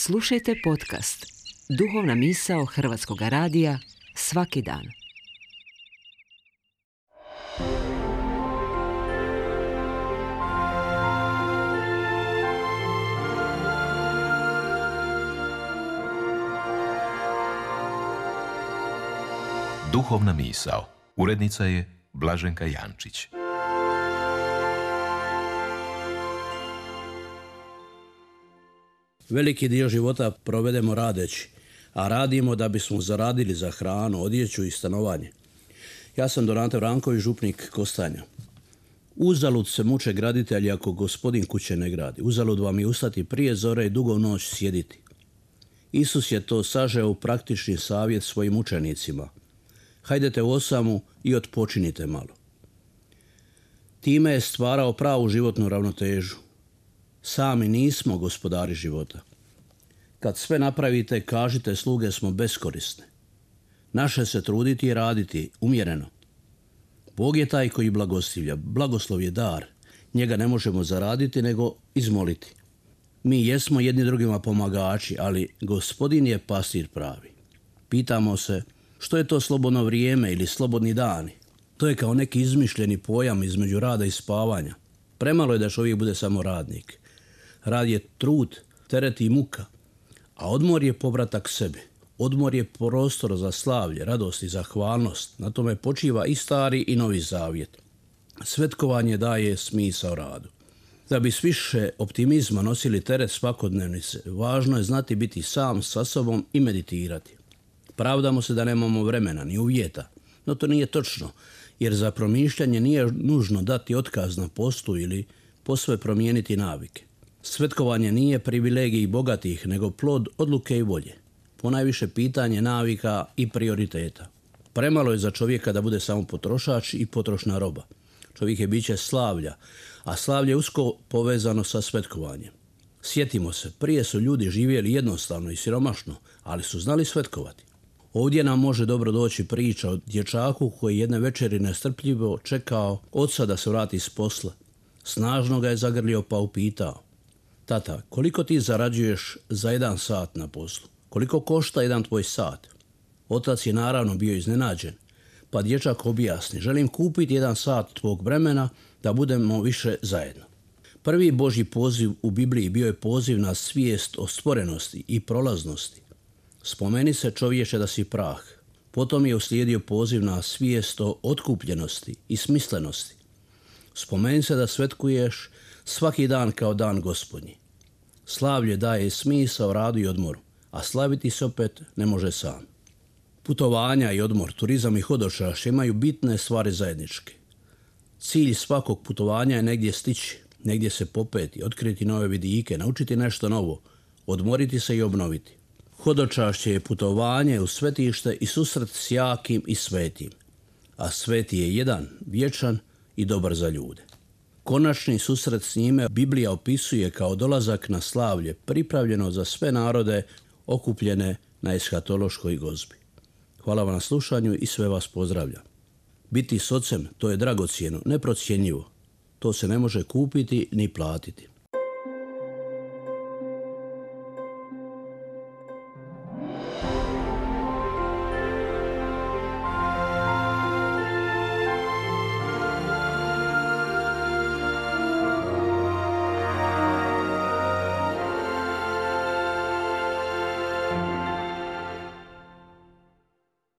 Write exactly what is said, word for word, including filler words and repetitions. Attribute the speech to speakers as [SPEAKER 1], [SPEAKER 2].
[SPEAKER 1] Slušajte podcast Duhovna misao Hrvatskog radija svaki dan.
[SPEAKER 2] Duhovna misao. Urednica je Blaženka Jančić.
[SPEAKER 3] Veliki dio života provedemo radeći, a radimo da bismo zaradili za hranu, odjeću i stanovanje. Ja sam Donate Vranković, župnik Kostanja. Uzalud se muče graditelji ako gospodin kuće ne gradi. Uzalud vam je ustati prije zore i dugo noć sjediti. Isus je to sažeo u praktični savjet svojim učenicima. Hajdete u osamu i otpočinite malo. Time je stvarao pravu životnu ravnotežu. Sami nismo gospodari života. Kad sve napravite, kažite sluge smo beskorisne. Naše se truditi i raditi umjereno. Bog je taj koji blagostivlja. Blagoslov je dar. Njega ne možemo zaraditi nego izmoliti. Mi jesmo jedni drugima pomagači, ali gospodin je pastir pravi. Pitamo se, što je to slobodno vrijeme ili slobodni dani? To je kao neki izmišljeni pojam između rada i spavanja. Premalo je da čovjek bude samo radnik. Rad je trud, teret i muka, a odmor je povratak sebi. Odmor je prostor za slavlje, radost i zahvalnost. Na tome počiva i stari i novi zavjet. Svetkovanje daje smisao radu. Da bi s više optimizma nosili teret svakodnevnice, važno je znati biti sam sa sobom i meditirati. Pravdamo se da nemamo vremena ni uvjeta, no to nije točno, jer za promišljanje nije nužno dati otkaz na postu ili posve promijeniti navike. Svetkovanje nije privilegij bogatih, nego plod odluke i volje. Ponajviše pitanje navika i prioriteta. Premalo je za čovjeka da bude samo potrošač i potrošna roba. Čovjek je biće slavlja, a slavlje je usko povezano sa svetkovanjem. Sjetimo se, prije su ljudi živjeli jednostavno i siromašno, ali su znali svetkovati. Ovdje nam može dobro doći priča o dječaku koji jedne večeri nestrpljivo čekao oca da se vrati s posla. Snažno ga je zagrlio pa upitao: tata, koliko ti zarađuješ za jedan sat na poslu? Koliko košta jedan tvoj sat? Otac je naravno bio iznenađen, pa dječak objasni: želim kupiti jedan sat tvog vremena da budemo više zajedno. Prvi Božji poziv u Bibliji bio je poziv na svijest o stvorenosti i prolaznosti. Spomeni se, čovječe, da si prah. Potom je uslijedio poziv na svijest o otkupljenosti i smislenosti. Spomeni se da svetkuješ svaki dan kao dan Gospodnji. Slavlje daje smisao radu i odmoru, a slaviti se opet ne može sam. Putovanja i odmor, turizam i hodočašće imaju bitne stvari zajedničke. Cilj svakog putovanja je negdje stići, negdje se popeti, otkriti nove vidike, naučiti nešto novo, odmoriti se i obnoviti. Hodočašće je putovanje u svetište i susret s jakim i svetim, a sveti je jedan, vječan i dobar za ljude. Konačni susret s njime Biblija opisuje kao dolazak na slavlje, pripravljeno za sve narode okupljene na eshatološkoj gozbi. Hvala vam na slušanju i sve vas pozdravljam. Biti s ocem, to je dragocjeno, neprocjenjivo. To se ne može kupiti ni platiti.